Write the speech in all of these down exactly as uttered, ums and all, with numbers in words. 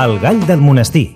El gall del monestir.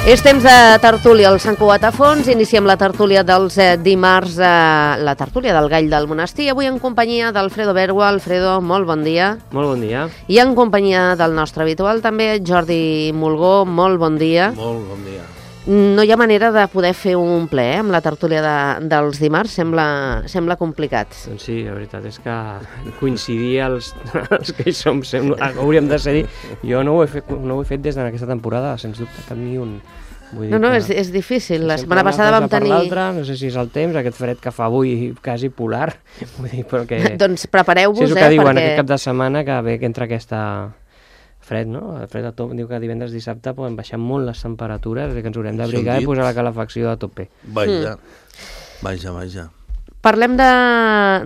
És temps de tertúlia al Sant Cugat a Fons. Iniciem la tertúlia dels eh, dimarts, eh, la tertúlia del Gall del Monestir, avui en companyia d'Alfredo Bergua. Alfredo, molt bon dia. Molt bon dia. I en companyia del nostre habitual també, Jordi Mulgó, molt bon dia. Molt bon dia. No hi ha manera de poder fer un ple eh, amb la tertúlia de, dels dimarts, sembla, sembla complicat. Doncs sí, la veritat és que coincidir els, els que hi som, sembla, hauríem de ser. Jo no ho he fet, no ho he fet des d'aquesta temporada, sens dubte, cap ni un. Vull no, no, que, és, és difícil. La setmana una passada vam tenir... No sé si és el temps, aquest fred que fa avui quasi polar. Vull dir, perquè... doncs prepareu-vos, sí, és el eh, que diuen, perquè... aquest cap de setmana que ve que entra aquesta... fred, no? El fred a top, diu que divendres dissabte poden baixar molt les temperatures, que ens haurem d'abrigar i posar la calefacció a tope. Vaja, mm. vaja, vaja. Parlem de,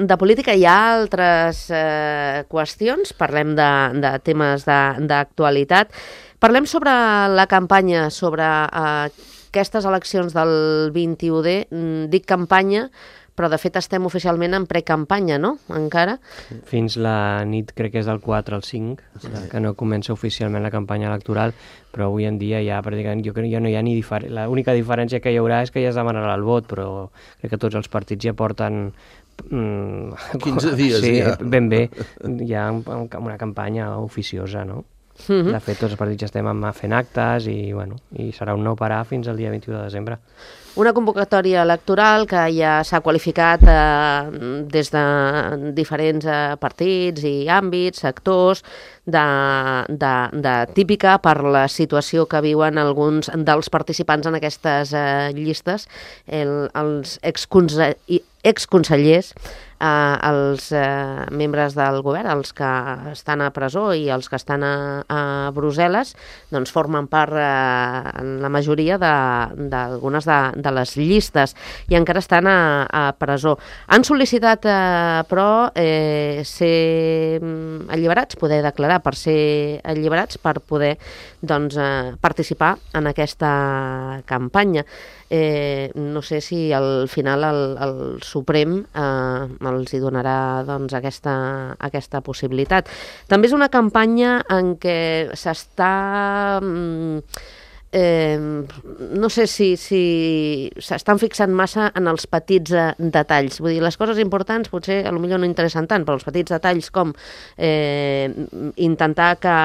de política, hi ha altres eh, qüestions, parlem de, de temes d'actualitat. Parlem sobre la campanya, sobre eh, aquestes eleccions del vint-i-u de, dic campanya, però de fet estem oficialment en precampanya, no? Encara. Fins la nit, crec que és del quatre al cinc, sí. Que no comença oficialment la campanya electoral, però avui en dia ja pràcticament, jo crec que ja no hi ha ni diferència. L'única diferència que hi haurà és que ja es demanarà el vot, però crec que tots els partits ja porten... Mm, quinze dies, sí, ja. Ben bé, hi ha una campanya oficiosa, no? Mm-hmm. De fet, tots els partits ja estem fent actes i, bueno, i serà un no parar fins al dia vint-i-u de desembre. Una convocatòria electoral que ja s'ha qualificat eh, des de diferents eh, partits i àmbits, sectors, de, de, de típica per la situació que viuen alguns dels participants en aquestes eh, llistes, el, els exconse exconsellers, eh, els eh, membres del govern, els que estan a presó i els que estan a, a Brussel·les, doncs formen part, eh, en la majoria, d'algunes de, de, de les llistes i encara estan a, a presó. Han sol·licitat, eh, però, eh, ser alliberats, poder declarar per ser alliberats, per poder doncs, eh, participar en aquesta campanya. Eh, no sé si al final el, el Suprem eh, els hi donarà doncs, aquesta, aquesta possibilitat. També és una campanya en què s'està... Mm, Eh, no sé si s'estan si fixant massa en els petits eh, detalls. Vull dir, les coses importants potser potser no interessen tant, però els petits detalls com eh, intentar que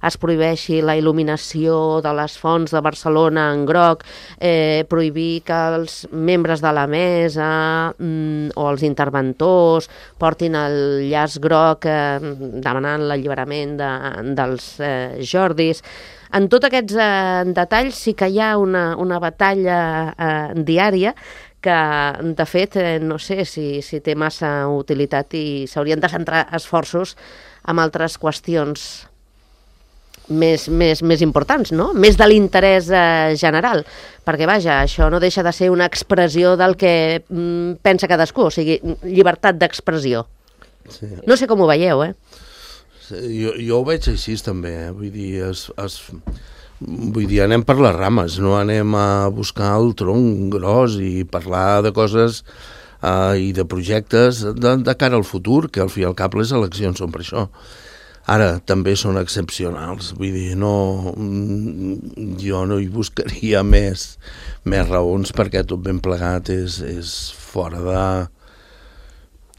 es prohibeixi la il·luminació de les fonts de Barcelona en groc, eh, prohibir que els membres de la mesa mm, o els interventors portin el llaç groc eh, demanant l'alliberament de, dels eh, Jordis. En tots aquests eh, detalls sí que hi ha una, una batalla eh, diària que, de fet, eh, no sé si, si té massa utilitat i s'haurien de centrar esforços en altres qüestions més, més, més importants, no? Més de l'interès eh, general, perquè, vaja, això no deixa de ser una expressió del que mm, pensa cadascú, o sigui, llibertat d'expressió. Sí. No sé com ho veieu, eh? Jo, jo ho veig així també, eh? Vull dir, es, es, vull dir, anem per les rames, no anem a buscar el tronc gros i parlar de coses eh, i de projectes de, de cara al futur, que al fi i al cap les eleccions són per això. Ara, també són excepcionals, vull dir, no, jo no hi buscaria més, més raons perquè tot ben plegat és, és fora de,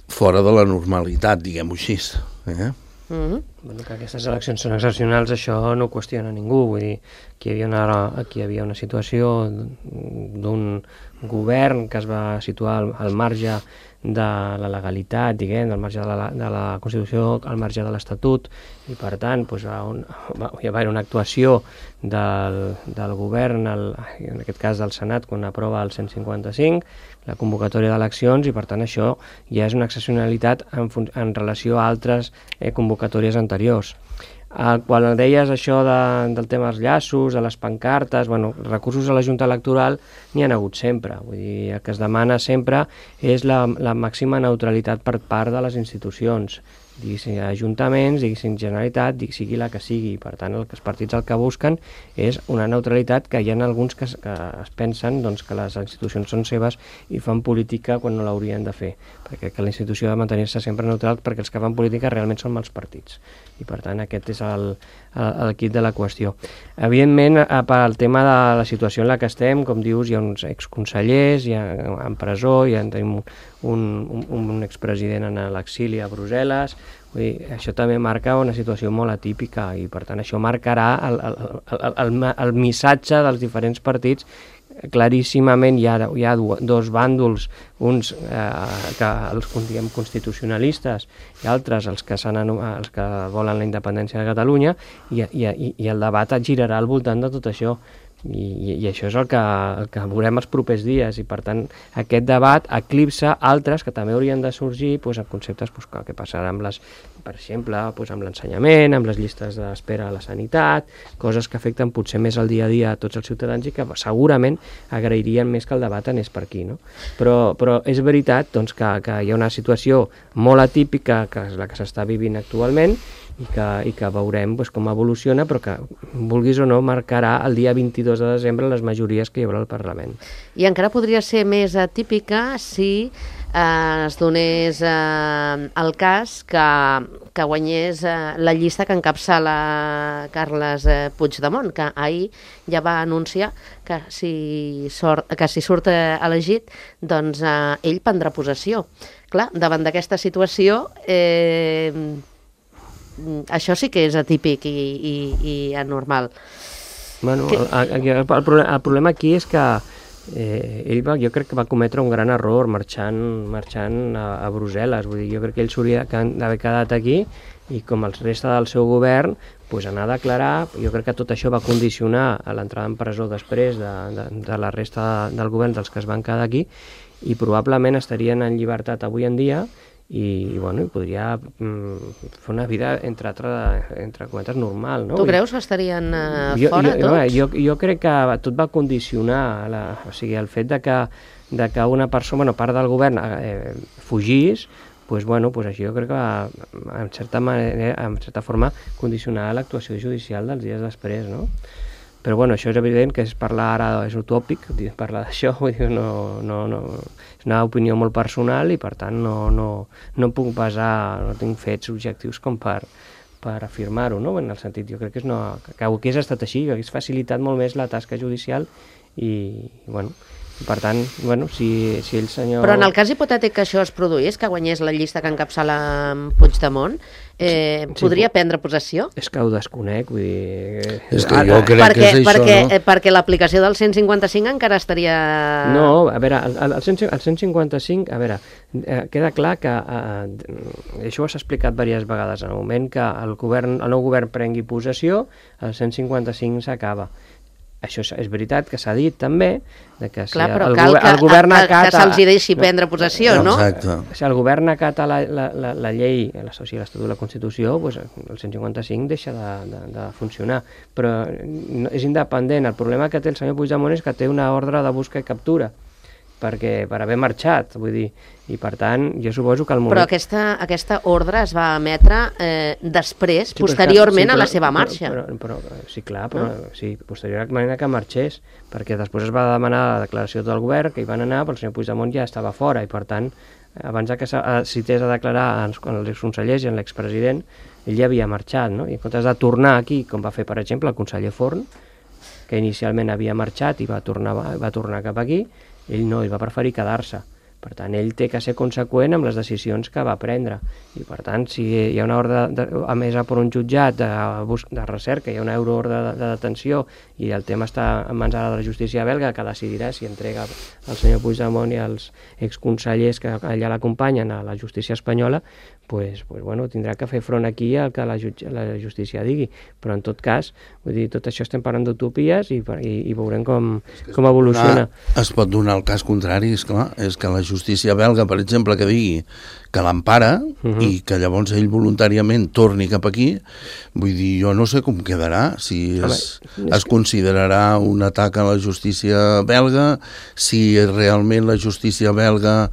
fora de la normalitat, diguem-ho així, eh? Mm-hmm. Bueno, que aquestes eleccions són excepcionals, això no ho qüestiona ningú. Vull dir, aquí hi havia una, aquí hi havia una situació d'un govern que es va situar al, al marge de la legalitat, diguem, del marge de la, de la Constitució al marge de l'Estatut, i per tant doncs, on, hi va haver una actuació del, del govern, el, en aquest cas del Senat, quan aprova el cent cinquanta-cinc, la convocatòria d'eleccions, i per tant això ja és una excepcionalitat en, en relació a altres eh, convocatòries anteriors. Eh, quan deies això de, del tema dels llaços, de les pancartes, bueno, recursos a la Junta Electoral n'hi ha hagut sempre. Vull dir, el que es demana sempre és la, la màxima neutralitat per part de les institucions, diguéssim ajuntaments, diguéssim Generalitat, diguéssim sigui la que sigui. Per tant, el que els partits el que busquen és una neutralitat, que hi ha alguns que, que es pensen doncs, que les institucions són seves i fan política quan no l'haurien de fer, perquè que la institució ha de mantenir-se sempre neutral, perquè els que fan política realment són els partits. I per tant aquest és el, el, el quid de la qüestió. Evidentment, pel tema de la situació en la que estem, com dius, hi ha uns exconsellers, hi ha en presó, hi ha tenim un, un, un expresident en l'exili a Brussel·les. Vull dir, això també marca una situació molt atípica, i per tant això marcarà el, el, el, el, el missatge dels diferents partits. Claríssimament hi ha, hi ha dos bàndols, uns eh, que els diguem constitucionalistes i altres els que, els que volen la independència de Catalunya, i, i, i el debat girarà al voltant de tot això. I, i això és el que, el que veurem els propers dies, i per tant aquest debat eclipsa altres que també haurien de sorgir, doncs, en conceptes doncs, que, que passarà amb les, per exemple, doncs, amb l'ensenyament, amb les llistes d'espera a la sanitat, coses que afecten potser més el dia a dia a tots els ciutadans i que segurament agrairien més que el debat anés per aquí, no? Però, però és veritat doncs, que, que hi ha una situació molt atípica, que és la que s'està vivint actualment, i que, i que veurem doncs, com evoluciona, però que, vulguis o no, marcarà el dia vint-i-dos de desembre les majories que hi haurà al Parlament. I encara podria ser més atípica si eh, es donés eh, el cas que, que guanyés eh, la llista que encapçala Carles eh, Puigdemont, que ahir ja va anunciar que si, sort, que si surt eh, elegit, doncs eh, ell prendrà possessió. Clar, davant d'aquesta situació, eh, això sí que és atípic i, i, i anormal. Bueno, que... el, el, el, problema, el problema aquí és que eh, ell va, jo crec que va cometre un gran error marxant, marxant a, a Brussel·les. Vull dir, jo crec que ell s'hauria d'haver quedat aquí i, com el resta del seu govern, pues, anar a declarar. Jo crec que tot això va condicionar a l'entrada en presó després de, de, de la resta del govern, dels que es van quedar aquí, i probablement estarien en llibertat avui en dia, i, bueno, i podria mm, fer una vida, entre, altre, entre cometes, normal, no? Tu creus que estarien uh, jo, fora, jo, tots? Jo, jo crec que tot va condicionar, la, o sigui, el fet de que, de que una persona, bueno, part del govern, eh, fugís, pues, bueno, pues això jo crec que va, en certa manera, en certa forma, condicionar l'actuació judicial dels dies després, no? Però bueno, això és evident que és parlar ara, és utòpic, parlar d'això, no, no, no, és una opinió molt personal i per tant no, no, no puc basar, no tinc fets objectius com per, per afirmar-ho, no? En el sentit, jo crec que, és no, que hagués estat així, que hagués facilitat molt més la tasca judicial i, bueno, per tant, bueno, si, si el senyor... Però en el cas hipotètic que això es produís, que guanyés la llista que encapçala Puigdemont, eh, sí, podria sí, prendre possessió? És que ho desconec, vull dir... És que jo crec perquè, que és això, perquè, no? Eh, perquè l'aplicació del cent cinquanta-cinc encara estaria... No, a veure, el, el, cent, el cent cinquanta-cinc, a veure, eh, queda clar que, eh, això s'ha explicat diverses vegades, en el moment que el, govern, el nou govern prengui possessió, el cent cinquanta-cinc s'acaba. Això és veritat que s'ha dit també, de que si Clar, però el, cal el, el que, govern que, acata... que se'ls deixi prendre possessió, no? Exacte. Si el govern acata la, la, la, la llei, la, o sigui, l'Estatut de la Constitució, doncs el cent cinquanta-cinc deixa de, de, de funcionar. Però no, és independent. El problema que té el senyor Puigdemont és que té una ordre de busca i captura, perquè per haver marxat, vull dir, i per tant, jo suposo que el moment... Però aquesta, aquesta ordre es va emetre eh, després, sí, posteriorment sí, però, a la seva marxa. Però, però, però, sí, clar, però no? Sí, posteriorment a que marxés, perquè després es va demanar la declaració del govern, que hi van anar, però el senyor Puigdemont ja estava fora, i per tant, abans que cités a declarar els exconsellers i l'expresident, ell ja havia marxat, no? I en comptes de tornar aquí, com va fer, per exemple, el conseller Forn, que inicialment havia marxat i va tornar, va tornar cap aquí, ell no, ell va preferir quedar-se. Per tant, ell té que ser conseqüent amb les decisions que va prendre. I, per tant, si hi ha una ordre de, emesa per un jutjat de, de recerca, hi ha una euroordre de, de detenció i el tema està en mans ara de la justícia belga, que decidirà si entrega el senyor Puigdemont i els exconsellers que allà l'acompanyen a la justícia espanyola, pues, pues, bueno, tindrà que fer front aquí al que la, jutge, la justícia digui. Però, en tot cas, vull dir, tot això estem parlant d'utopies i, i, i veurem com, com evoluciona. Donar, es pot donar el cas contrari, és clar, és que la justícia belga, per exemple, que digui que l'empara uh -huh. i que llavors ell voluntàriament torni cap aquí, vull dir, jo no sé com quedarà, si es, Home, es considerarà un atac a la justícia belga, si realment la justícia belga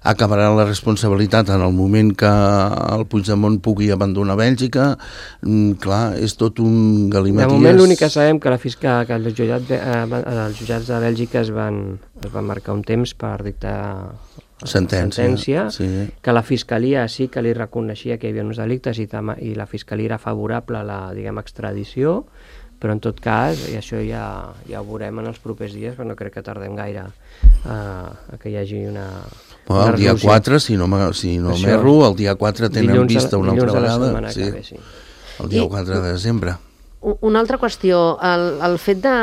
acabarà la responsabilitat en el moment que el Puigdemont pugui abandonar Bèlgica. Mm, clar, és tot un galimaties. De moment l'únic que sabem que, la fiscal, que els, jutjats, eh, els jutjats de Bèlgica es van, es van marcar un temps per dictar sentència, sentència sí. Que la Fiscalia sí que li reconeixia que hi havia uns delictes i, i la Fiscalia era favorable a la, diguem, extradició, però en tot cas, i això ja, ja ho veurem en els propers dies, però no crec que tardem gaire a, a que hi hagi una... Bueno, el dia quatre, si no, si no m'erro, el dia quatre tenen dilluns, vista una altra vegada. Sí. Ve, sí. El dia I, quatre de desembre. Una altra qüestió, el, el fet de,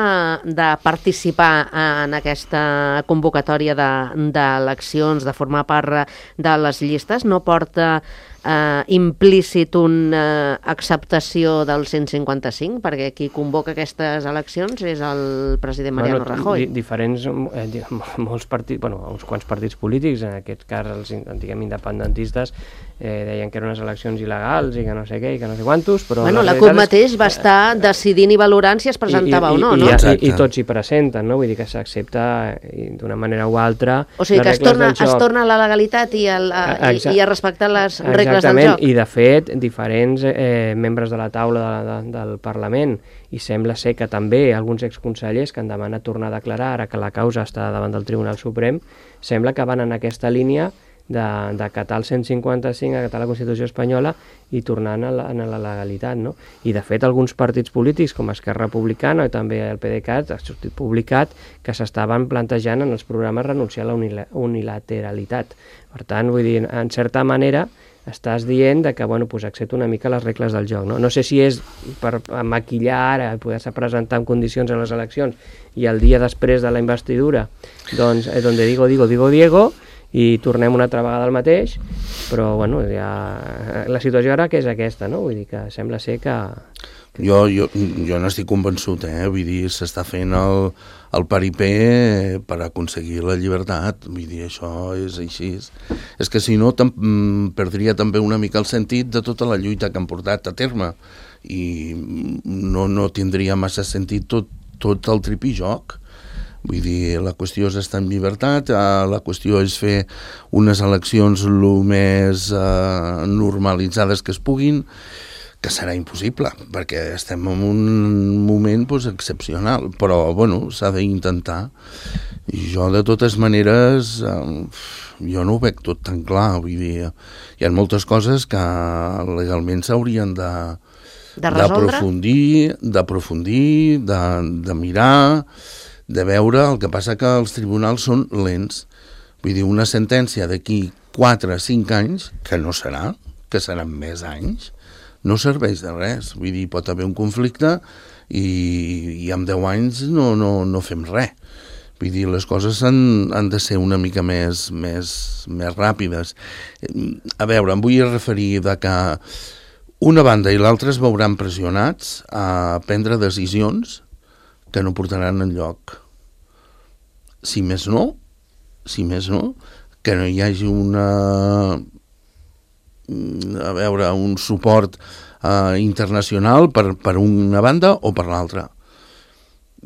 de participar en aquesta convocatòria d'eleccions, de, de formar part de les llistes, no porta eh, implícit una acceptació del cent cinquanta-cinc, perquè qui convoca aquestes eleccions és el president Mariano bueno, Rajoy. Di diferents, eh, molts partits, bueno, uns quants partits polítics, en aquest cas els diguem independentistes, eh, deien que eren unes eleccions il·legals i que no sé què, i que no sé quantos, però... Bueno, la CUP mateix va estar decidint i valorant si es presentava I, i, o no, i, no? I, i, i tots s'hi presenten, no? Vull dir que s'accepta d'una manera o altra... O sigui que es torna, es torna a la legalitat i, el, a, i, i a respectar les regles del joc. I de fet, diferents eh, membres de la taula de, de, del Parlament, i sembla ser que també alguns exconsellers que han demanat tornar a declarar ara que la causa està davant del Tribunal Suprem, sembla que van en aquesta línia d'acatar el cent cinquanta-cinc, acatar la Constitució espanyola i tornar a la, a la legalitat, no? I de fet alguns partits polítics com Esquerra Republicana i també el PDeCAT ha sortit publicat que s'estaven plantejant en els programes renunciar a la unilateralitat. Per tant, vull dir, en certa manera estàs dient de que, bueno, pues accepta una mica les regles del joc, no? No sé si és per maquillar ara i poder-se presentar en condicions en les eleccions i el dia després de la investidura, doncs, és on digo, digo, digo, Diego, i tornem una altra vegada al mateix, però, bueno, ja... la situació ara que és aquesta, no? Vull dir que sembla ser que... Jo, jo, jo n'estic convençut, eh? Vull dir, s'està fent el, el paripé per aconseguir la llibertat, vull dir, això és així. És que si no, perdria també una mica el sentit de tota la lluita que han portat a terme i no, no tindria massa sentit tot, tot el tripijoc. Vull dir, la qüestió és estar en llibertat, la qüestió és fer unes eleccions el més eh, normalitzades que es puguin, que serà impossible, perquè estem en un moment doncs, excepcional, però bueno, s'ha d'intentar. I jo, de totes maneres, eh, jo no ho veig tot tan clar, vull dir, hi ha moltes coses que legalment s'haurien de d'aprofundir, d'aprofundir, de, de mirar, de veure. El que passa que els tribunals són lents. Vull dir, una sentència d'aquí quatre o cinc anys, que no serà, que seran més anys, no serveix de res. Vull dir, pot haver un conflicte i, i en deu anys no, no, no fem res. Vull dir, les coses han, han de ser una mica més, més, més ràpides. A veure, em vull referir de que una banda i l'altra es veuran pressionats a prendre decisions que no portaran enlloc. Si més no, si més no, que no hi hagi una... a veure, un suport uh, internacional per, per una banda o per l'altra.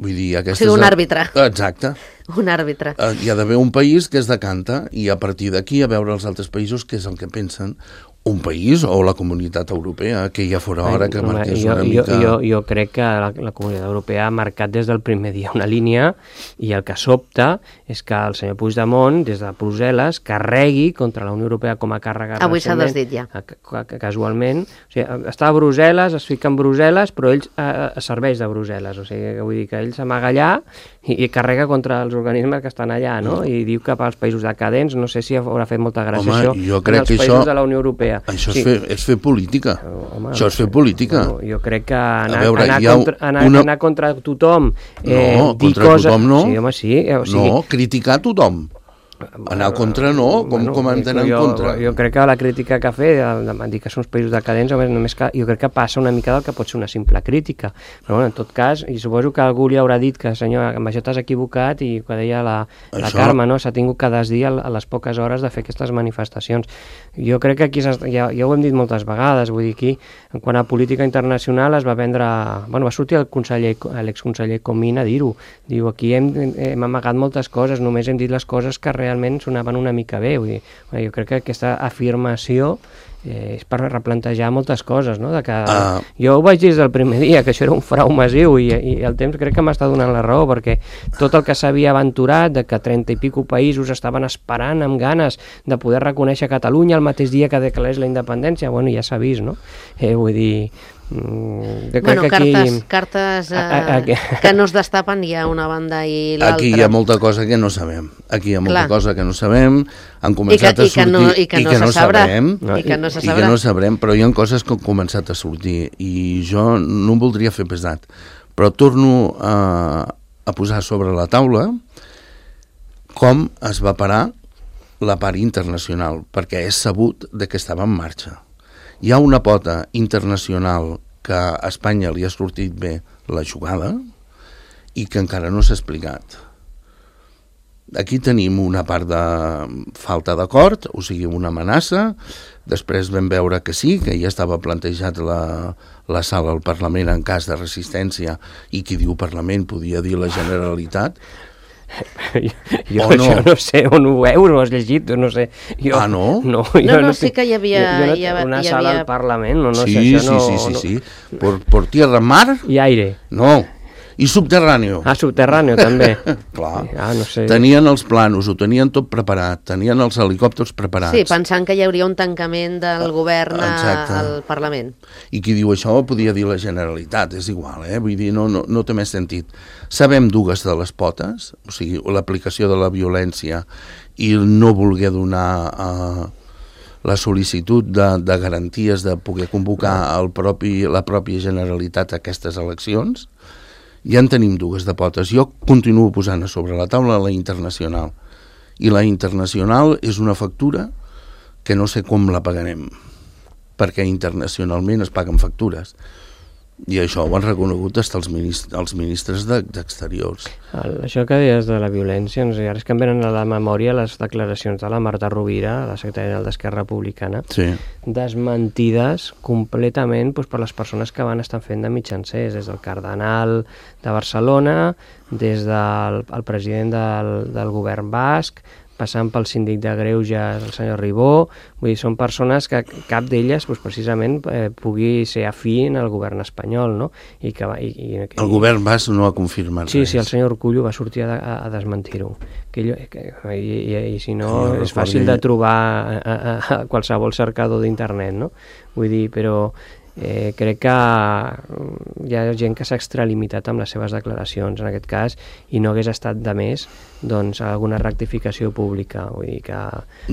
Vull dir, aquesta o sigui, un àrbitre. Exacte. Un àrbitre. Uh, hi ha d'haver un país que es decanta i a partir d'aquí a veure els altres països què és el que pensen. un país o la comunitat europea, que ja fora hora que marqués jo, una mica... Jo, jo, jo crec que la, la comunitat europea ha marcat des del primer dia una línia i el que sobta és que el senyor Puigdemont, des de Brussel·les, carregui contra la Unió Europea com a càrrega avui s'ha desdit ja. Casualment. O sigui, està a Brussel·les, es fica en Brussel·les, però ell eh, serveix de Brussel·les. O sigui, vull dir que ell s'amaga allà i, i carrega contra els organismes que estan allà, no? I diu que pels països decadents, no sé si haurà fet molta gràcia Home, això, jo crec en els que països això... de la Unió Europea. Això sí. és, fer, és fer política. Home, això és fer política. No, jo crec que anar, veure, anar, contra, anar, una... anar contra tothom... Eh, no, dir contra cosa... tothom no. Sí, home, sí. Eh, o sigui... No, criticar tothom. Anar contra no, com, bueno, com hem d'anar en jo, contra? Jo crec que la crítica que ha fet, de, de dir que són uns països decadents, només que, jo crec que passa una mica del que pot ser una simple crítica. Però bueno, en tot cas, i suposo que algú li haurà dit que, senyor, amb això t'has equivocat, i que deia la, la això... Carme, no? S'ha tingut que desdir a les poques hores de fer aquestes manifestacions. Jo crec que aquí, ja, ja ho hem dit moltes vegades, vull dir, aquí, en quant a política internacional, es va vendre... Bueno, va sortir el conseller, l'exconseller Comín a dir-ho. Diu, aquí hem, hem amagat moltes coses, només hem dit les coses que realment sonaven una mica bé. Vull dir, jo crec que aquesta afirmació eh, és per replantejar moltes coses, no? De que, uh... Jo ho vaig dir des del primer dia, que això era un frau massiu, i, i el temps crec que m'està donant la raó, perquè tot el que s'havia aventurat, de que trenta i pico països estaven esperant amb ganes de poder reconèixer Catalunya el mateix dia que declarés la independència, bueno, ja s'ha vist, no? Eh, vull dir... Jo bueno, que aquí... cartes, cartes eh, a, a, a, que no es destapen hi ha una banda i l'altra. Aquí hi ha molta cosa que no sabem. Aquí hi ha molta Clar. cosa que no sabem. Han començat I que, a sortir i que no, i que i no, que no sabrem. No, I que no se I que no sabrem, però hi ha coses que han començat a sortir i jo no em voldria fer pesat, però torno a, a posar sobre la taula com es va parar la part internacional, perquè és sabut de que estava en marxa. Hi ha una pota internacional que a Espanya li ha sortit bé la jugada i que encara no s'ha explicat. Aquí tenim una part de falta d'acord, o sigui, una amenaça. Després vam veure que sí, que ja estava plantejat la, la sala al Parlament en cas de resistència, i qui diu Parlament podia dir la Generalitat. jo jo no? Això no sé on ho veus, no ho has llegit, no sé. Jo, ah, no? No, no, no, no sí que hi havia... Jo, jo no, hi havia una hi sala havia... al Parlament, no, no sí, sé, això no... Sí, sí, sí, no... sí. Por, por tierra, mar... I aire. No, i subterráneo. Ah, subterráneo, també. Clar. Ah, no sé. Tenien els planos, ho tenien tot preparat, tenien els helicòpters preparats. Sí, pensant que hi hauria un tancament del govern Exacte. al Parlament. I qui diu això podia dir la Generalitat, és igual, eh? Vull dir, no, no, no té més sentit. Sabem dues de les potes, o sigui, l'aplicació de la violència i no voler donar uh, la sol·licitud de, de garanties de poder convocar el propi, la pròpia Generalitat a aquestes eleccions. Ja en tenim dues de potes. Jo continuo posant a sobre la taula la internacional. I la internacional és una factura que no sé com la pagarem, perquè internacionalment es paguen factures. I això ho han reconegut fins els ministres, els ministres d'Exteriors. El, això que deies de la violència, no sé, ara és que em venen a la memòria les declaracions de la Marta Rovira, la secretària general d'Esquerra Republicana, sí. desmentides completament doncs, per les persones que van estar fent de mitjancers, des del cardenal de Barcelona, des del el president del, del govern basc, passant pel síndic de Greuges, el senyor Ribó. Vull dir, són persones que cap d'elles doncs, precisament eh, pugui ser afí en el govern espanyol, no? I que, i, i, i, el govern basc no ha confirmat sí, res. Sí, el senyor Urkullu va sortir a, a, a desmentir-ho. Que, que, i, i, I si no, no és fàcil de trobar a, a, a qualsevol cercador d'internet, no? Vull dir, però... Eh, crec que hi ha gent que s'ha extralimitat amb les seves declaracions en aquest cas i no hagués estat de més doncs alguna rectificació pública, vull dir que...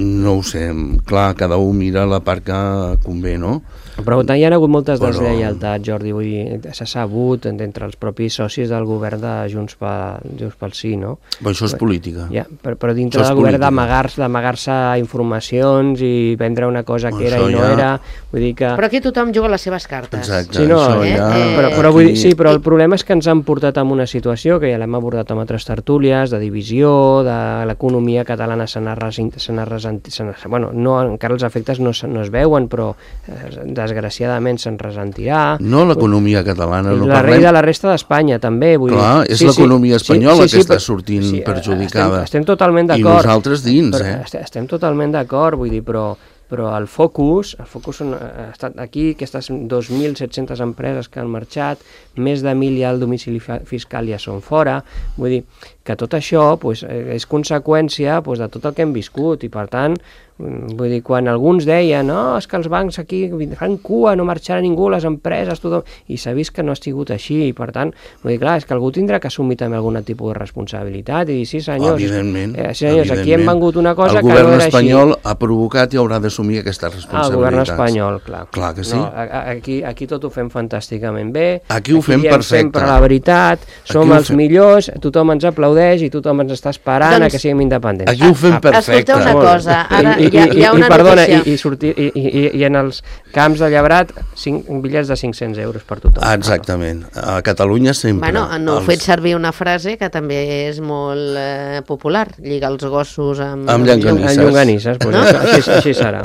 No ho sé, clar, cada un mira la part que convé, no? Però hi ha hagut moltes Però... deslleialtats, Jordi, vull dir, s'ha sabut entre els propis socis del govern de Junts pel, Junts pel Sí, no? Però això és política. Ja, però, però dintre del govern d'amagar-se d'amagar-se informacions i vendre una cosa que era i no ja... era, vull dir que... Però aquí tothom juga les seves cartes. Exacte, sí, no, això eh? ja... Eh... Però, però, vull dir, sí, però el problema és que ens han portat a una situació que ja l'hem abordat amb altres tertúlies, de divisió, de l'economia catalana se n'ha ressentit, bueno, no, encara els efectes no, no es veuen, però eh, desgraciadament se'n ressentirà. No l'economia catalana, no la parlem... de la resta d'Espanya també. Vull Clar, dir. és sí, l'economia sí, espanyola sí, sí, que està però, sortint sí, perjudicada. Estem, estem totalment d'acord. I nosaltres dins, eh? Estem, estem totalment d'acord, vull dir, però però el focus, el focus són, ha estat aquí, aquestes dos mil set-centes empreses que han marxat, més de mil ja el domicili fiscal ja són fora, vull dir que tot això pues, és conseqüència pues, de tot el que hem viscut i per tant, vull dir, quan alguns deien no, és que els bancs aquí fan cua, no marxarà ningú, les empreses, tothom, i s'ha vist que no ha sigut així i per tant, vull dir, clar, és que algú tindrà que assumir també algun tipus de responsabilitat i dir, sí senyors, evidentment, eh, sí, senyors evidentment. Aquí hem vengut una cosa el que no era així. El govern espanyol ha provocat i haurà d'assumir aquestes responsabilitats. El govern espanyol, clar. Clar que sí. No, aquí, aquí tot ho fem fantàsticament bé, aquí ho fem aquí perfecte. Sempre la veritat, som els fem... millors, tothom ens aplaudeix i tothom ens està esperant doncs, a que siguem independents. Aquí ho fem perfecte. Escolteu una cosa, ara I, hi ha, hi ha una i, perdona, notícia. I, i, sortir, i, i, i en els camps de Llebrat, cinc, bitllets de cinc-cents euros per tothom. Exactament. A Catalunya sempre. Bueno, no heu els... fet servir una frase que també és molt eh, popular, lligar els gossos amb... Amb llonganisses. Amb llonganisses, pues, no? així, així serà.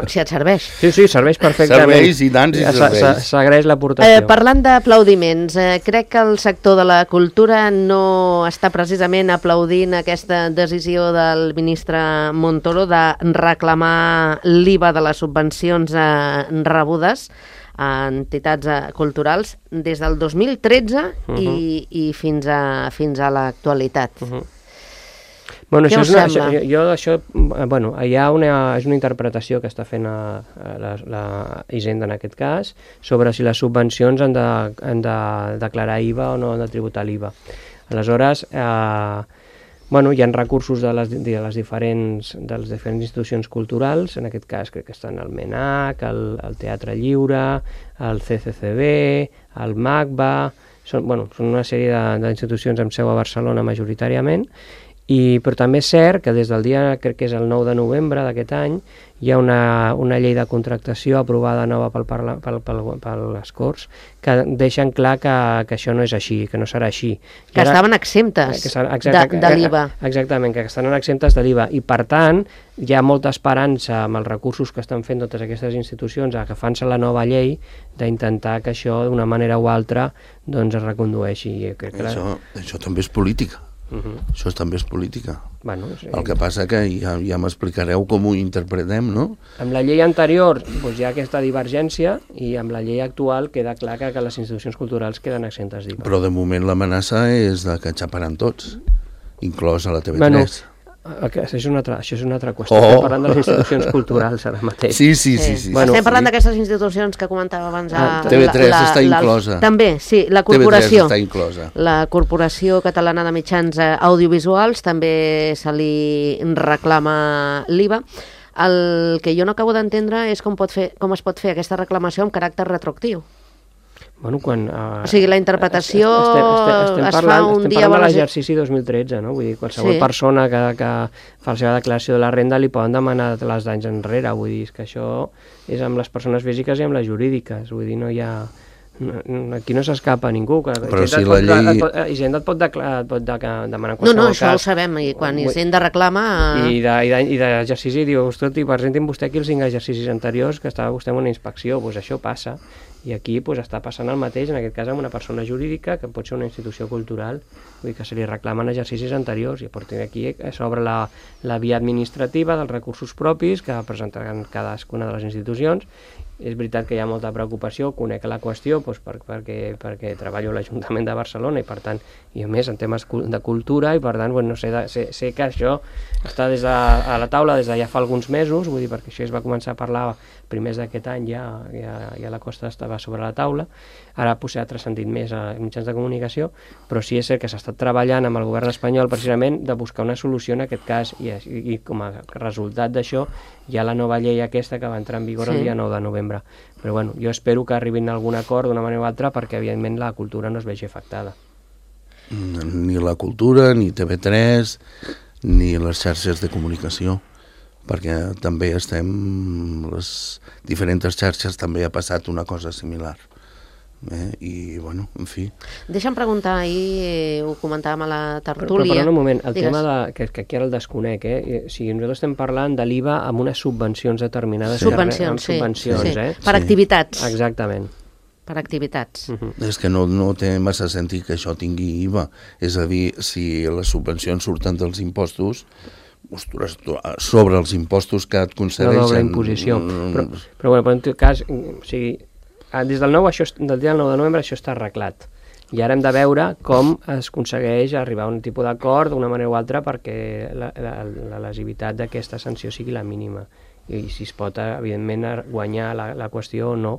Si et serveix. Sí, sí, serveix perfectament. Serveix i tant, si serveix. S'agraeix l'aportació. Eh, parlant d'aplaudiments, eh, crec que el sector de la cultura no està precisament aplaudint aquesta decisió del ministre Montoro de reclamar l'I V A de les subvencions eh, rebudes a entitats eh, culturals des del dos mil tretze uh-huh. i, i fins a, fins a l'actualitat. Uh-huh. Bueno, això és una, això, jo, jo això, bueno, hi ha una, és una interpretació que està fent a, a la, la Hisenda en aquest cas sobre si les subvencions han de, han de declarar I V A o no han de tributar l'I V A. Aleshores, eh, bueno, hi ha recursos de les, de les diferents, de les diferents institucions culturals, en aquest cas crec que estan el MENAC, el, el Teatre Lliure, el C C C B, el MACBA, són, bueno, són una sèrie d'institucions amb seu a Barcelona majoritàriament, i, però també és cert que des del dia, crec que és el nou de novembre d'aquest any, hi ha una, una llei de contractació aprovada nova pel, pel, pel, pel, per les Corts que deixen clar que, que això no és així, que no serà així. Que ara, estaven exemptes que exacte, de, de l'I V A. Exactament, que estan exemptes de l'I V A i per tant hi ha molta esperança amb els recursos que estan fent totes aquestes institucions agafant-se la nova llei d'intentar que això d'una manera o altra doncs es recondueixi. Crec que això, la... això també és política. Uh-huh. Això també és política. Bueno, sí. El que passa que ja, ja m'explicareu com ho interpretem, no? Amb la llei anterior doncs, hi ha aquesta divergència i amb la llei actual queda clar que, que les institucions culturals queden exemptes d'I V A. Però de moment l'amenaça és de que xaparan tots, inclòs a la T V tres. Bueno, això és una altra, això és una altra qüestió. Oh. Estem parlant de les institucions culturals ara mateix. Sí, sí, sí. sí, sí. Bueno, Estem parlant sí. d'aquestes institucions que comentava abans. Ah, T V tres la, la, està inclosa. També, sí, la corporació. T V tres està inclosa. La Corporació Catalana de Mitjans Audiovisuals també se li reclama l'I V A. El que jo no acabo d'entendre és com, pot fer, com es pot fer aquesta reclamació amb caràcter retroactiu. Bueno, quan, uh, o sigui, la interpretació estem, estem, estem es parlant, fa un estem dia... Estem parlant de l'exercici dos mil tretze, no? Vull dir, qualsevol sí. persona que, que fa la seva declaració de la renda li poden demanar les d'anys enrere. Vull dir, que això és amb les persones físiques i amb les jurídiques. Vull dir, no hi ha... No, aquí no s'escapa ningú. Però si la llei... Hisenda et pot, declarar, et pot de, demanar qualsevol No, no, això cas. Ho sabem. I quan Hisenda reclama... I d'exercici diu, ostres, presentin vostè aquí els cinc exercicis anteriors que estava vostè en una inspecció. Doncs això passa. I aquí pues, està passant el mateix, en aquest cas amb una persona jurídica que pot ser una institució cultural, vull dir que se li reclamen exercicis anteriors i a partir d'aquí s'obre la, la via administrativa dels recursos propis que presentaran cadascuna de les institucions. És veritat que hi ha molta preocupació, conec la qüestió doncs, per, perquè, perquè treballo a l'Ajuntament de Barcelona i per tant, i a més en temes de cultura i per tant, bueno, sé, de, sé, sé que això està des de, a la taula des de ja fa alguns mesos, vull dir, perquè això es va començar a parlar primers d'aquest any, ja, ja, ja la costa estava sobre la taula, ara potser ha transcendit més a mitjans de comunicació, però sí és cert que s'ha estat treballant amb el govern espanyol precisament de buscar una solució en aquest cas i, i, i com a resultat d'això hi ha la nova llei aquesta que va entrar en vigor sí. el dia nou de novembre. Però bueno, jo espero que arribin a algun acord d'una manera o altra perquè evidentment la cultura no es vegi afectada. Ni la cultura, ni T V tres, ni les xarxes de comunicació, perquè també estem, les diferents xarxes també ha passat una cosa similar. Eh? I, bueno, en fi... Deixa'm preguntar, ahir eh, ho comentàvem a la tertúlia... Però, però un moment, el Digues. tema de, que, que aquí ara el desconec, eh? O sigui, nosaltres estem parlant de l'I V A amb unes subvencions determinades. Sí. Subvencions, sí. Subvencions, sí. eh? Per sí. activitats. Exactament. Per activitats. Uh-huh. És que no, no té massa sentit que això tingui I V A. És a dir, si les subvencions surten dels impostos, ostres, sobre els impostos que et concedeixen... La doble imposició. Però, però, bueno, però en tot cas, o sigui, des del nou, això, del dia del nou de novembre això està arreglat. I ara hem de veure com es aconsegueix arribar a un tipus d'acord d'una manera o altra perquè la, la, la lesivitat d'aquesta sanció sigui la mínima. I si es pot, evidentment, guanyar la, la qüestió o no.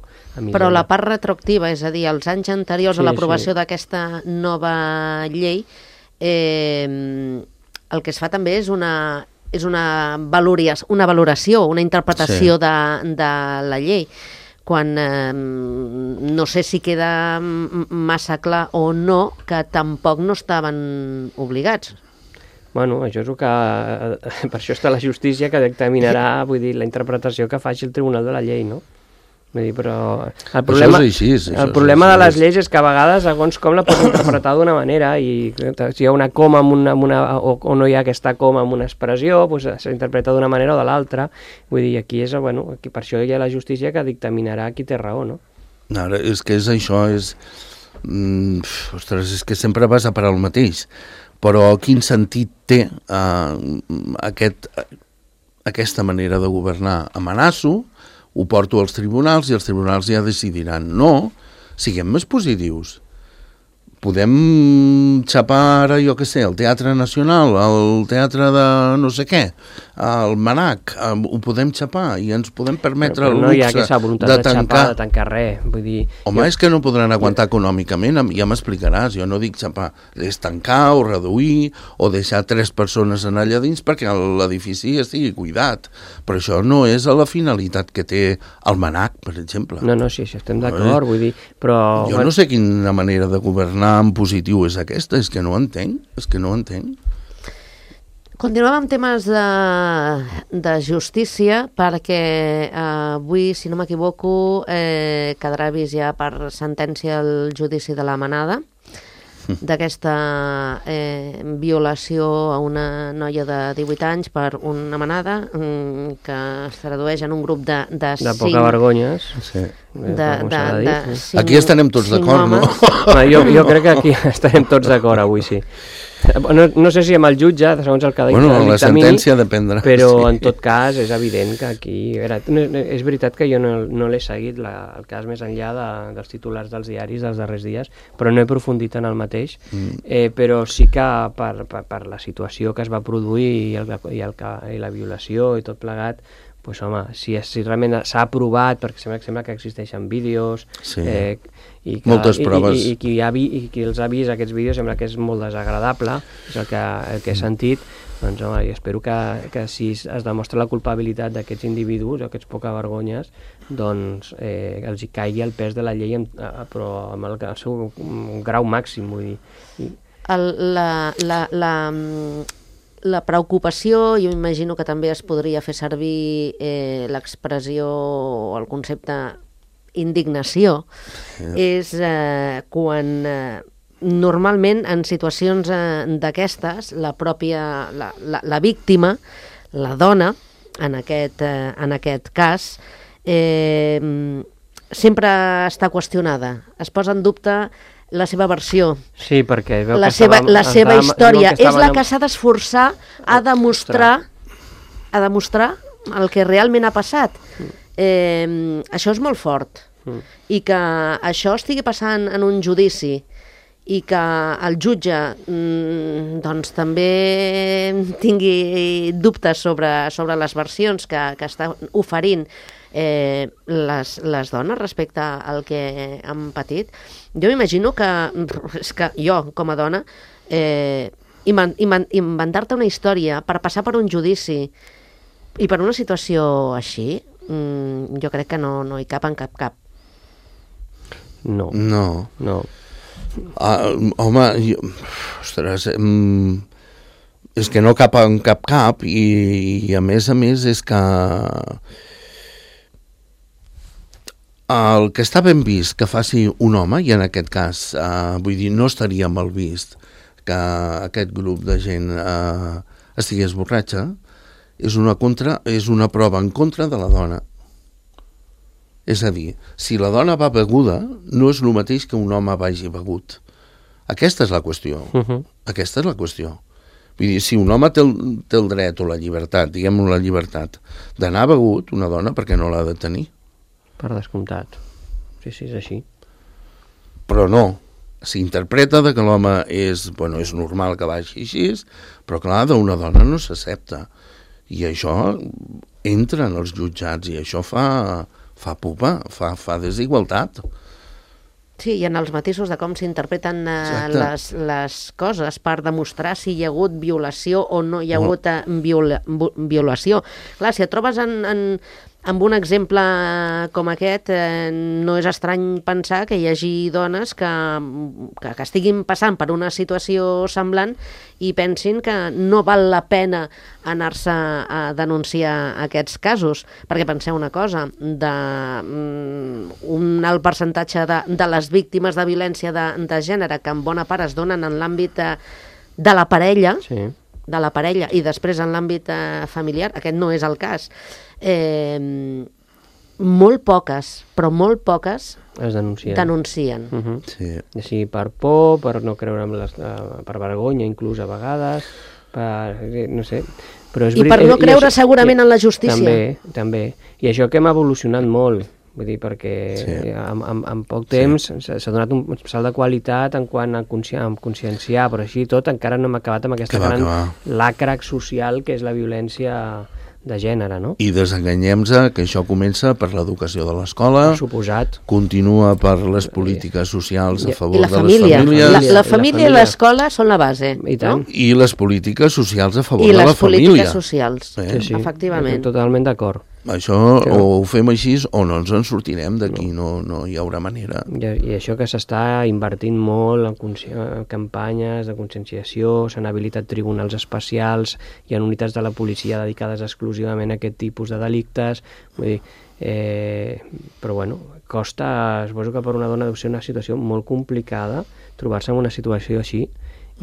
Però la part retroactiva, és a dir, els anys anteriors sí, a l'aprovació sí. d'aquesta nova llei, eh, el que es fa també és una, és una, valoració, una valoració, una interpretació sí. de, de la llei. Quan eh, no sé si queda massa clar o no que tampoc no estaven obligats. Bueno, això és el que... Per això està la justícia que dictaminarà, vull dir, la interpretació que faci el Tribunal de la Llei, no? Vull dir, però... El problema, això és així, això el problema és de les lleis és que a vegades, segons com la pots interpretar d'una manera, i si hi ha una coma amb una, amb una, o, o no hi ha aquesta coma amb una expressió, doncs s'interpreta d'una manera o de l'altra. Vull dir, aquí és, bueno, aquí per això hi ha la justícia que dictaminarà qui té raó, no? Ara, és que és això, és... Mm, ostres, és que sempre vas a parar el mateix. Però quin sentit té eh, aquest, aquesta manera de governar? Amenaço, ho porto als tribunals i els tribunals ja decidiran. No, siguem més positius. Podem xapar ara, jo què sé, el Teatre Nacional, el Teatre de no sé què, el Manac, ho podem xapar i ens podem permetre però, però el no luxe hi ha aquesta voluntat de de tancar. xapar, de tancar res. Vull dir, Home, jo... és que no podran aguantar econòmicament, ja m'explicaràs, jo no dic xapar, és tancar o reduir o deixar tres persones en allà dins perquè l'edifici estigui cuidat, però això no és a la finalitat que té el Manac, per exemple. No, no, sí, sí estem d'acord, vull dir, però... Jo no sé quina manera de governar en positiu és aquesta, és que no ho entenc, és que no ho entenc. Continuem amb temes de, de justícia perquè eh, avui, si no m'equivoco, eh, quedarà vist ja per sentència el judici de la Manada, d'aquesta eh, violació a una noia de divuit anys per una manada mm, que es tradueix en un grup de, de, de cinc... poca vergonyes. Sí. De, de, de, de cinc, aquí estarem tots d'acord, no? no jo, jo crec que aquí estarem tots d'acord avui, sí. No, no sé si amb el jutge, segons el que ha bueno, dictamini, la sentència dependrà. Però sí. en tot cas és evident que aquí... Era, és veritat que jo no, no l'he seguit la, el cas més enllà de, dels titulars dels diaris dels darrers dies, però no he aprofundit en el mateix, mm. eh, però sí que per, per, per la situació que es va produir i, el, i, el, i la violació i tot plegat, pues, home, si, si realment s'ha aprovat, perquè sembla, sembla que existeixen vídeos, sí. eh, i que, moltes proves. I, i, i, qui ha vi, i qui els ha vist aquests vídeos sembla que és molt desagradable, és el que, el que he sentit, doncs home, jo espero que, que si es demostra la culpabilitat d'aquests individus, aquests poca vergonyes, doncs eh, els hi caigui el pes de la llei, amb, però amb el, el seu grau màxim, vull dir. I... El, la... la, la La preocupació, jo imagino que també es podria fer servir eh, l'expressió o el concepte indignació, sí. és eh, quan eh, normalment en situacions eh, d'aquestes la pròpia, la, la, la víctima, la dona, en aquest, eh, en aquest cas, eh, sempre està qüestionada, es posa en dubte la seva versió, sí, perquè veu la que seva, estava, la seva estava, història, que és la que s'ha d'esforçar a demostrar, a demostrar el que realment ha passat. Mm. Eh, això és molt fort. Mm. I que això estigui passant en un judici i que el jutge mm, doncs també tingui dubtes sobre, sobre les versions que, que està oferint eh, les, les dones respecte al que han patit. Jo m'imagino que, és que jo, com a dona, eh, inventar-te una història per passar per un judici i per una situació així, mm, jo crec que no, no hi cap en cap cap. No. No. No. Ah, home, jo, ostres, mm, és que no cap en cap cap i, i a més a més és que el que està ben vist que faci un home, i en aquest cas, eh, vull dir, no estaria mal vist que aquest grup de gent eh, estigués borratxa, és una, contra, és una prova en contra de la dona. És a dir, si la dona va beguda, no és el mateix que un home vagi begut. Aquesta és la qüestió. Uh-huh. Aquesta és la qüestió. Vull dir, si un home té el, té el dret o la llibertat, diguem-ho la llibertat, d'anar begut, una dona, perquè no l'ha de tenir? Per descomptat. Sí, sí, és així. Però no. S'interpreta que l'home és, bueno, és normal que vagi així, però clar, d'una dona no s'accepta. I això entra en els jutjats i això fa, fa pupa, fa, fa desigualtat. Sí, i en els matisos de com s'interpreten eh, les, les coses per demostrar si hi ha hagut violació o no hi ha hagut eh, viola, violació. Clar, si et trobes en, en, amb un exemple com aquest, eh, no és estrany pensar que hi hagi dones que, que, que estiguin passant per una situació semblant i pensin que no val la pena anar-se a denunciar aquests casos, perquè penseu una cosa, de, um, un alt percentatge de, de les víctimes de violència de, de gènere que en bona part es donen en l'àmbit de, de la parella, sí. de la parella i després en l'àmbit eh, familiar, aquest no és el cas. Eh, molt poques, però molt poques es denuncien. denuncien. Uh -huh. Sí. Sí, per por, per no creure amb les, uh, per vergonya inclús a vegades, per, no sé, però és I per no creure això, segurament i, en la justícia. També, també. I això que hem evolucionat molt, vull dir, perquè sí. en, en, en poc temps sí. s'ha donat un salt de qualitat en quant a consci conscienciar, però així tot encara no hem acabat amb aquesta va, gran lacra social que és la violència de gènere, no? I desenganyem-se que això comença per l'educació de l'escola, suposat, continua per les polítiques socials a favor la de família. les famílies. La, la família i l'escola són la base. I tant. No? I les polítiques socials a favor I de la les família. polítiques socials, eh? sí, sí. efectivament. Totalment d'acord. Això sí. O ho fem així o no ens en sortirem d'aquí, no. No, no hi haurà manera. I, i això que s'està invertint molt en, en campanyes de conscienciació, s'han habilitat tribunals especials, hi ha unitats de la policia dedicades exclusivament a aquest tipus de delictes, vull dir, eh, però bueno, costa, suposo que per una dona deu ser una situació molt complicada trobar-se en una situació així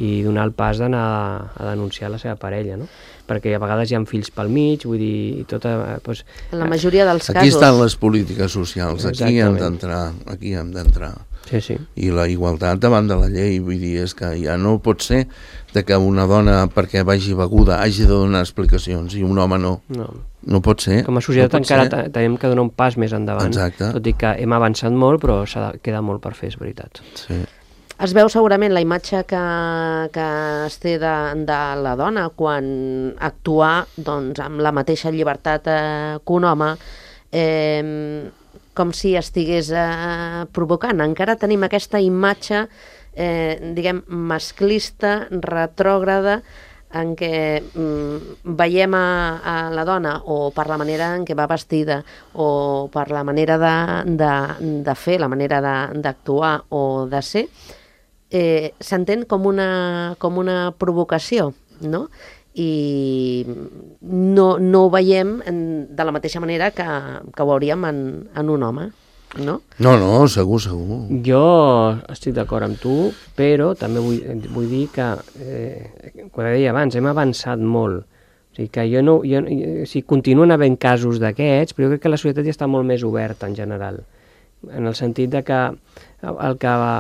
i donar el pas d'anar a denunciar la seva parella, no? Perquè a vegades hi ha fills pel mig, vull dir, i tota... Doncs, en la majoria dels aquí casos... Aquí estan les polítiques socials, aquí hem d'entrar, aquí hem d'entrar. Sí, sí. I la igualtat davant de la llei, vull dir, és que ja no pot ser de que una dona, perquè vagi beguda, hagi de donar explicacions i un home no. No. No pot ser. Com a societat no encara tenim que donar un pas més endavant. Exacte. Tot i que hem avançat molt, però queda molt per fer, és veritat. Sí. Es veu segurament la imatge que, que es té de, de la dona quan actua doncs, amb la mateixa llibertat eh, que un home, eh, com si estigués eh, provocant. Encara tenim aquesta imatge, eh, diguem, masclista, retrògrada, en què mm, veiem a, a la dona o per la manera en què va vestida o per la manera de, de, de fer, la manera d'actuar o de ser, eh, s'entén com una, com una provocació, no? I no, no ho veiem en, de la mateixa manera que, que ho hauríem en, en un home, no? No, no, segur, segur. Jo estic d'acord amb tu, però també vull, vull dir que, eh, quan deia abans, hem avançat molt. O sigui, que jo no, jo, o sigui, continuen havent casos d'aquests, però jo crec que la societat ja està molt més oberta en general, en el sentit de que el que va...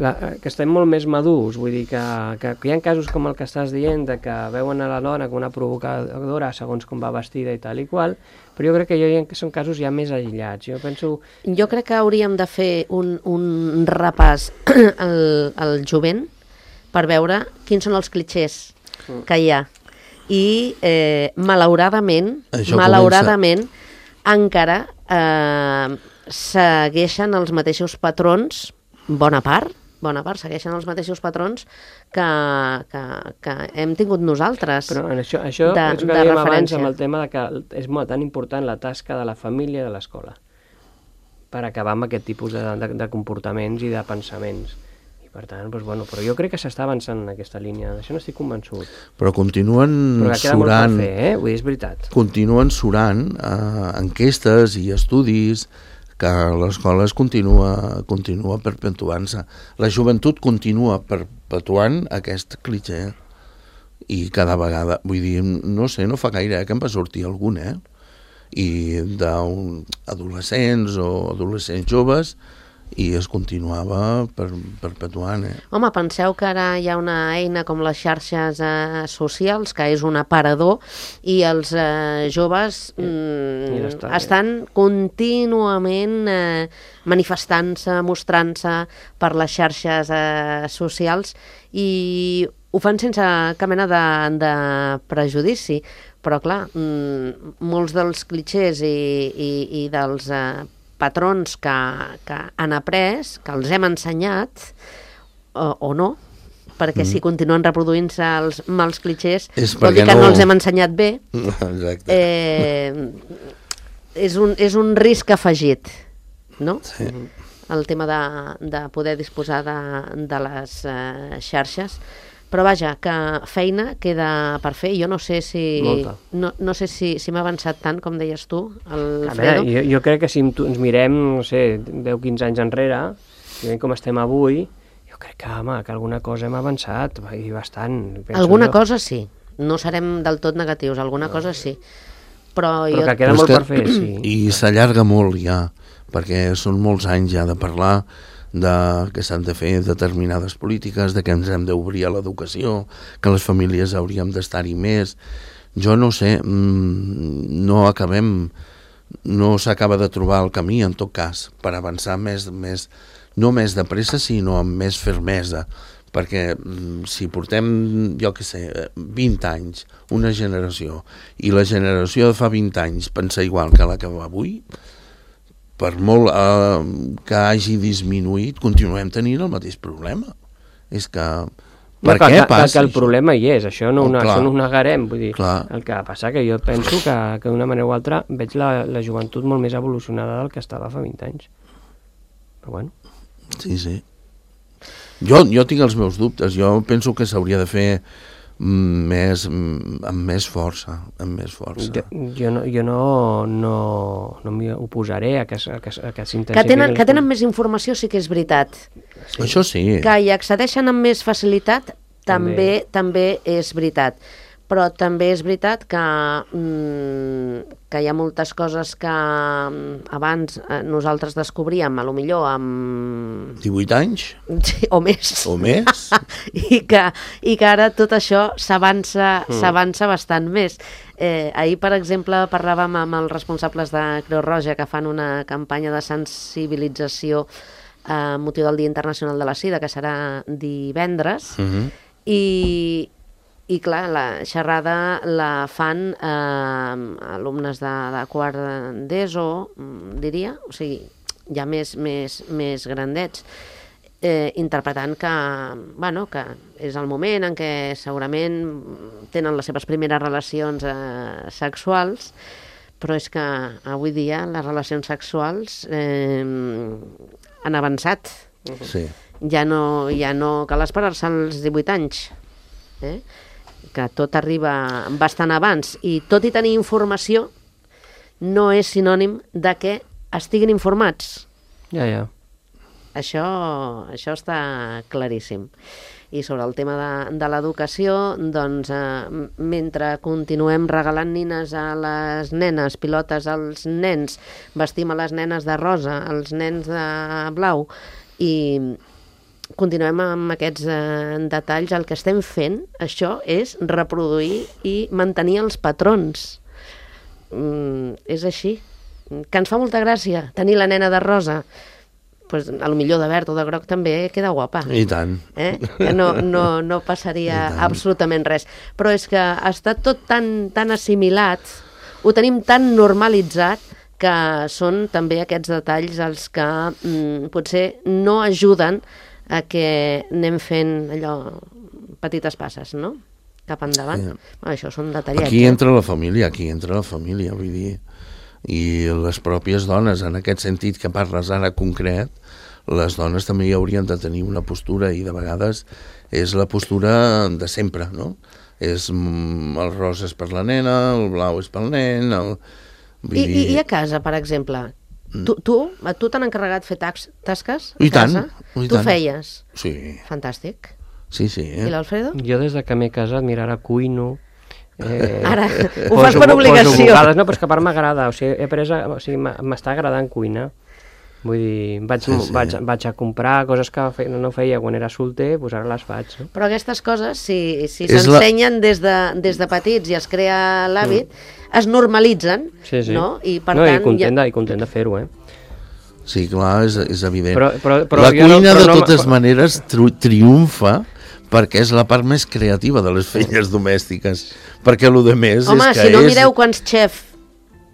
La, que estem molt més madurs, vull dir que, que, que hi ha casos com el que estàs dient, de que veuen a la dona com una provocadora segons com va vestida i tal i qual, però jo crec que, jo, que són casos ja més aïllats. Jo penso... Jo crec que hauríem de fer un, un repàs al, al jovent per veure quins són els clixés que hi ha. I eh, malauradament, Això malauradament encara eh, segueixen els mateixos patrons, bona part, bona part, segueixen els mateixos patrons que, que, que hem tingut nosaltres. Però en això, això de, és el que dèiem abans amb el tema de que és molt tan important la tasca de la família i de l'escola per acabar amb aquest tipus de, de, de comportaments i de pensaments. I per tant, doncs, bueno, però jo crec que s'està avançant en aquesta línia, d'això n'estic convençut. Però continuen però que queda surant... molt per fer, eh? Vull dir, és veritat. Continuen surant eh, enquestes i estudis que l'escola es continua, continua perpetuant-se. La joventut continua perpetuant aquest clitxer i cada vegada, vull dir, no sé, no fa gaire eh, que em va sortir algun, eh? I d'adolescents o adolescents joves i es continuava per, perpetuant. Eh? Home, penseu que ara hi ha una eina com les xarxes eh, socials, que és un aparador, i els eh, joves mm, està, estan eh? contínuament eh, manifestant-se, mostrant-se per les xarxes eh, socials, i ho fan sense cap mena de, de prejudici, però clar, mm, molts dels clixés i, i, i dels eh, patrons que, que han après, que els hem ensenyat, o, o no, perquè mm. si continuen reproduint-se els mals clixés, vol dir que no... no els hem ensenyat bé. Exacte. Eh, és, un, és un risc afegit, no? Sí. El tema de, de poder disposar de, de les eh, xarxes. Però vaja, que feina queda per fer. Jo no sé si no, no sé si, si m'ha avançat tant, com deies tu, Alfredo. Jo, jo crec que si ens mirem, no sé, deu o quinze anys enrere, i veiem com estem avui, jo crec que, home, que alguna cosa hem avançat, i bastant. Alguna jo. cosa sí. No serem del tot negatius, alguna no. cosa sí. Però, Però jo... que queda Però molt que, per fer, sí. I s'allarga molt ja, perquè són molts anys ja de parlar de que s'han de fer determinades polítiques, de que ens hem d'obrir a l'educació, que les famílies hauríem d'estar-hi més. Jo no sé, no acabem, no s'acaba de trobar el camí, en tot cas, per avançar més, més no més de pressa, sinó amb més fermesa, perquè si portem, jo què sé, vint anys, una generació, i la generació de fa vint anys pensa igual que la que va avui, per molt eh, que hagi disminuït, continuem tenint el mateix problema. És que... Per no, què que, passa que, que el problema hi és, això no, oh, una, això no ho negarem. Vull dir, clar. El que passa que jo penso que, que d'una manera o altra veig la, la joventut molt més evolucionada del que estava fa vint anys. Però bueno. Sí, sí. Jo, jo tinc els meus dubtes. Jo penso que s'hauria de fer més, amb més força, amb més força. Jo, jo no, jo no, no, no m'hi oposaré a que, a que, a que s'intensifiqui. Que tenen, que tenen més informació sí que és veritat. Sí. Això sí. Que hi accedeixen amb més facilitat també, també, també és veritat. Però també és veritat que, mm, que hi ha moltes coses que abans eh, nosaltres descobríem, a lo millor amb... divuit anys? Sí, o més. O més? I, que, I que ara tot això s'avança mm. s'avança bastant més. Eh, ahir, per exemple, parlàvem amb els responsables de Creu Roja que fan una campanya de sensibilització a motiu del Dia Internacional de la Sida, que serà divendres, mm-hmm. i... I clar, la xerrada la fan eh, alumnes de, de quart d'ESO, diria, o sigui, ja més, més, més grandets, eh, interpretant que, bueno, que és el moment en què segurament tenen les seves primeres relacions eh, sexuals, però és que avui dia les relacions sexuals eh, han avançat. Sí. Ja no, ja no cal esperar-se als divuit anys. Eh? Que tot arriba bastant abans, i tot i tenir informació no és sinònim de que estiguin informats. Ja, ja. Això, això està claríssim. I sobre el tema de, de l'educació, doncs, eh, mentre continuem regalant nines a les nenes, pilotes als nens, vestim a les nenes de rosa, als nens de blau, i continuem amb aquests eh, detalls, el que estem fent, això, és reproduir i mantenir els patrons. Mm, és així. Que ens fa molta gràcia tenir la nena de rosa. Pues, a lo millor de verd o de groc també queda guapa. I tant. Eh? Que no, no, no passaria absolutament res. Però és que està tot tan, tan assimilat, ho tenim tan normalitzat, que són també aquests detalls els que mm, potser no ajuden a que anem fent allò, petites passes, no? Cap endavant. Sí. Bueno, això són detallets. Aquí entra la família, aquí entra la família, vull dir, i les pròpies dones, en aquest sentit que parles ara concret, les dones també hi haurien de tenir una postura, i de vegades és la postura de sempre, no? És, el rosa és per la nena, el blau és pel nen... El... Vull I, dir... I a casa, per exemple, tu, tu, a tu t'han encarregat fer tax, tasques a I tant, casa? I tu tant. feies? Sí. Fantàstic. Sí, sí. Eh? I l'Alfredo? Jo des de que m'he casat, mira, ara cuino... Eh, ara, ho fas per obligació. Poso no, però és que a part m'agrada, o sigui, he après, a, o sigui, m'està agradant cuinar. Vull dir, vaig, Sí, sí. vaig, vaig a comprar coses que fe, no feia quan era solter, doncs ara les faig. No? Però aquestes coses, si, si És s'ensenyen la... des, de, des de petits i es crea l'hàbit, mm. es normalitzen, sí, sí. no? I per no, tant... i content, ja... de, i content de fer-ho, eh? Sí, clar, és, és evident. Però, però, però la jo cuina, no, però de no, totes però... maneres, tri triomfa perquè és la part més creativa de les feines domèstiques. Perquè el de més Home, és que si no és... mireu quants xefs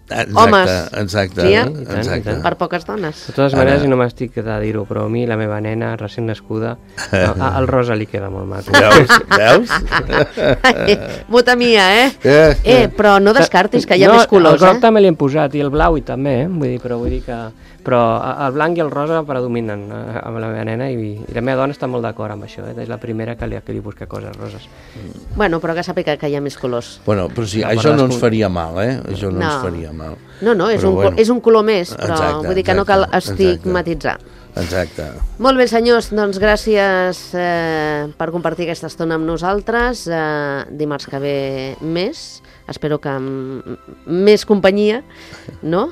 Exacte, homes, exacte, sí, eh? I tant, exacte. i tant. per poques dones. De totes maneres, i no m'estic de dir-ho, però a mi, la meva nena, recent nascuda, al rosa li queda molt maco. Veus? Veus? Muta mia, eh? Eh, Eh, però no descartis que hi ha no, més colors, el groc eh? també li hem posat, i el blau i també, eh? Vull dir, però vull dir que... Però el blanc i el rosa predominen eh, amb la meva nena i, i la meva dona està molt d'acord amb això, eh? És la primera que li, que li busca coses roses. Bueno, però que sàpiga que hi ha més colors. Bueno, però sí, No, això però no les ens faria mal, eh? Això no, No. ens faria mal. No, no, és, Però un, bueno. és un color més, però Exacte, vull dir que no cal exacte, estigmatitzar. Exacte. Molt bé, senyors, doncs gràcies eh, per compartir aquesta estona amb nosaltres. Eh, dimarts que ve més, espero que amb més companyia, no?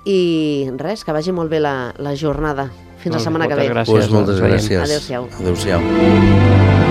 I res, que vagi molt bé la, la jornada. Fins la setmana que ve. Moltes gràcies. Pues moltes Ens veiem. gràcies. Adéu-siau. Adéu-siau.